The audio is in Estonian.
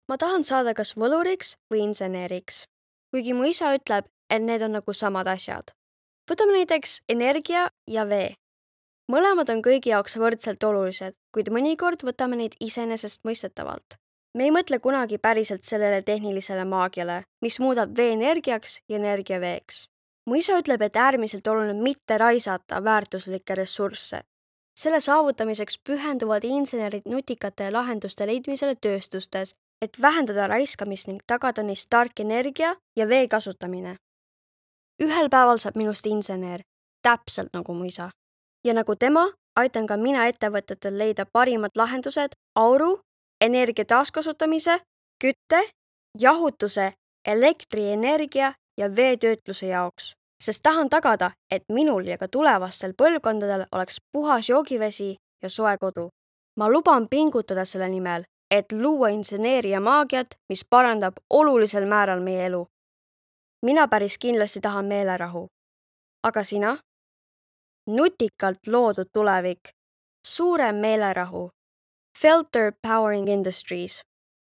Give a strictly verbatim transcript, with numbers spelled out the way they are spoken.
Ma tahan saada kas võluriks või inseneriks, kuigi mu isa ütleb, et need on nagu samad asjad. Võtame näiteks energia ja vee. Mõlemad on kõigi jaoks võrdselt olulised, kuid mõnikord võtame neid iseenesestmõistetavalt. Me ei mõtle kunagi päriselt sellele tehnilisele maagiale, mis muudab vee energiaks ja energia veeks. Mu isa ütleb, et äärmiselt oluline mitte raisata väärtuslikke ressursse. Selle saavutamiseks pühenduvad insenerid nutikate lahenduste leidmisele tööstustes, et vähendada raiskamist ning tagada neist tark energia ja vee kasutamine. Ühel päeval saab minust insener, täpselt nagu mu isa. Ja nagu tema, aitan ka mina ettevõtetel leida parimad lahendused auru, energia taaskasutamise, kütte, jahutuse, elektrienergia ja veetöötluse jaoks, sest tahan tagada, et minul ja ka tulevastel põlvkondadel oleks puhas joogivesi ja soe kodu. Ma luban pingutada selle nimel, et luua inseneeria maagiat, mis parandab olulisel määral meie elu. Mina päris kindlasti tahan meelerahu. Aga sina? Nutikalt loodud tulevik, suurem meelerahu. Filter Powering Industries.